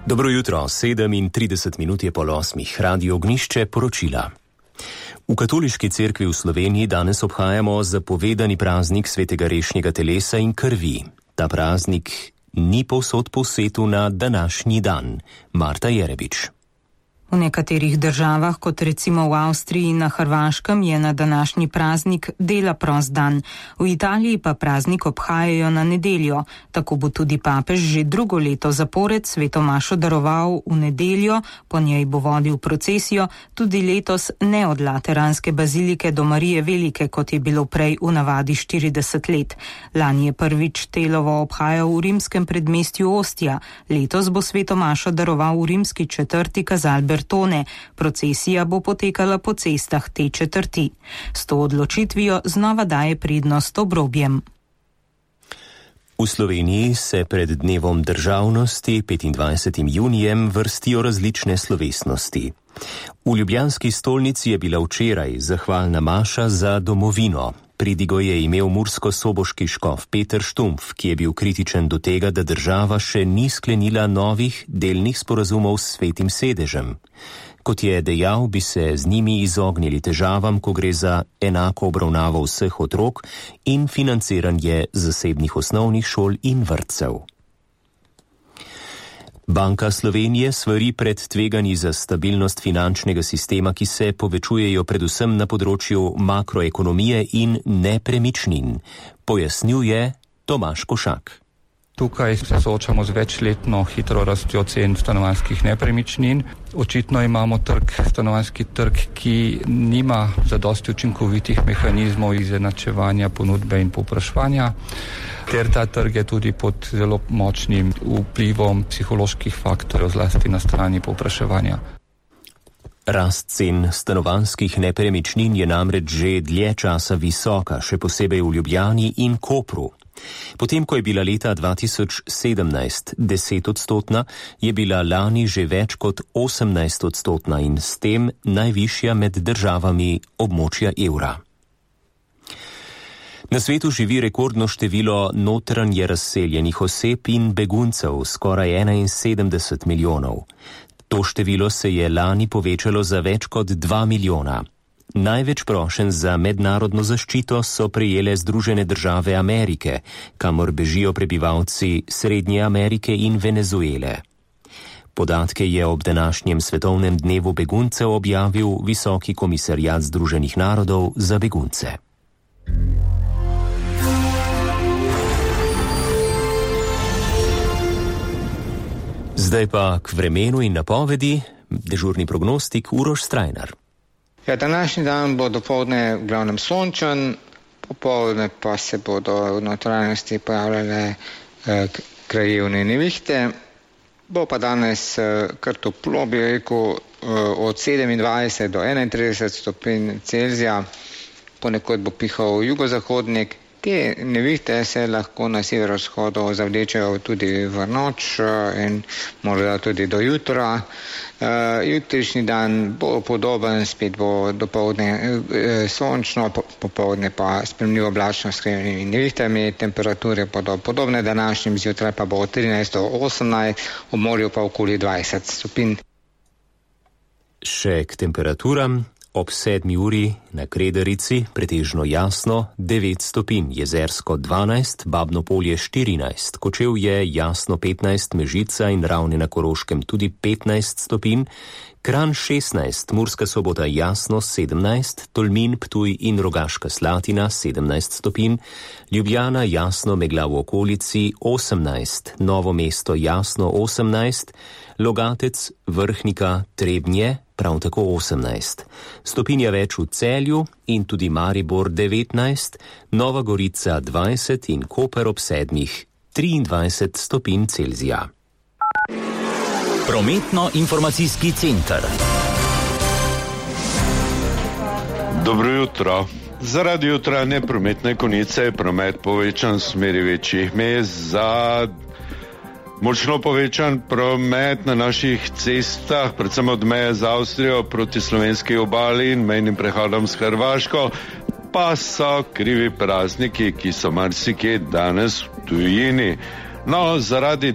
Dobro jutro, 37 minut je pol 8, Radio Ognišče poročila. V Katoliški cerkvi v Sloveniji danes obhajamo zapovedani praznik svetega rešnjega telesa in krvi. Ta praznik ni povsod po svetu na današnji dan. Marta Jerebič. V nekaterih državah, kot recimo v Avstriji in na Hrvaškem, je na današnji praznik dela prost dan. V Italiji pa praznik obhajajo na nedeljo. Tako bo tudi papež že drugo leto zapored sveto mašo daroval v nedeljo, po njej bo vodil procesijo, tudi letos ne od Lateranske bazilike do Marije Velike, kot je bilo prej v navadi 40 let. Lani je prvič telovo obhajal v rimskem predmestju Ostija. Letos bo sveto mašo daroval v rimski četrti Casal Bertone. Procesija bo potekala po cestah te četrti. S to odločitvijo znova daje prednost obrobjem. V Sloveniji se pred dnevom državnosti 25. junijem vrstijo različne slovesnosti. V ljubljanski stolnici je bila včeraj zahvalna maša za domovino. Pridigo je imel mursko-soboški škof Peter Štumpf, ki je bil kritičen do tega, da država še ni sklenila novih delnih sporazumov s Svetim sedežem. Kot je dejal, bi se z njimi izognili težavam, ko gre za enako obravnavo vseh otrok in financiranje zasebnih osnovnih šol in vrtcev. Banka Slovenije svari pred tveganji za stabilnost finančnega sistema, ki se povečujejo predvsem na področju makroekonomije in nepremičnin, pojasnjuje Tomaž Košak. Tukaj se soočamo z večletno hitro rastjo cen stanovanjskih nepremičnin. Očitno imamo stanovanjski trg, ki nima zadosti učinkovitih mehanizmov izenačevanja ponudbe in povpraševanja, ter ta trg je tudi pod zelo močnim vplivom psiholoških faktorjev, zlasti na strani povpraševanja. Rast cen stanovanjskih nepremičnin je namreč že dlje časa visoka, še posebej v Ljubljani in Kopru. Potem, ko je bila leta 2017 10-odstotna, je bila lani že več kot 18-odstotna in s tem najvišja med državami območja evra. Na svetu živi rekordno število notranje razseljenih oseb in beguncev, skoraj 71 milijonov. To število se je lani povečalo za več kot 2 milijona. Največ prošenj za mednarodno zaščito so prejele Združene države Amerike, kamor bežijo prebivalci Srednje Amerike in Venezuele. Podatke je ob današnjem svetovnem dnevu beguncev objavil Visoki komisarjat Združenih narodov za begunce. Zdaj pa k vremenu in napovedi, dežurni prognostik Uroš Strajnar. Ja, današnji dan bo dopoldne v glavnem sončen, popoldne pa se bodo v notranjosti pojavljale krajevne nevihte. Bo pa danes kar toplo, bi rekel, od 27 do 31 stopinj Celzija, ponekod bo pihal jugozahodnik. Te nevihte se lahko na severovzhodu zavlečejo tudi v noč in morda tudi do jutra. Jutrišnji dan bo podoben, spet bo dopoldne sončno, popoldne pa spremljivo oblačno s krajevnimi nevihtami. Temperature bodo podobne današnjim, zjutraj pa bo od 13 do 18, v morju pa okoli 20 stopinj. Še k temperaturam. Ob 7 uri na Kredarici pretežno jasno 9 stopinj, Jezersko 12, Babno Polje 14, Kočevje jasno 15, Mežica in Ravne na Koroškem tudi 15 stopinj, Kranj 16, Murska Sobota jasno 17, Tolmin, Ptuj in Rogaška Slatina 17 stopinj, Ljubljana jasno megla v okolici 18, Novo mesto jasno 18, Logatec, Vrhnika, Trebnje prav tako 18. Stopinja več v Celju in tudi Maribor 19, Nova Gorica 20 in Koper ob 7, 23 stopinj Celzija. Prometno-informacijski center. Dobro jutro. Zaradi jutranje prometne konice je promet povečan v smeri večjih mest. Za močno povečan promet na naših cestah, predvsem od meje z Avstrijo proti slovenski obali in mejnim prehodom s Hrvaško, pa so krivi prazniki, ki so marsikje danes v tujini. No, zaradi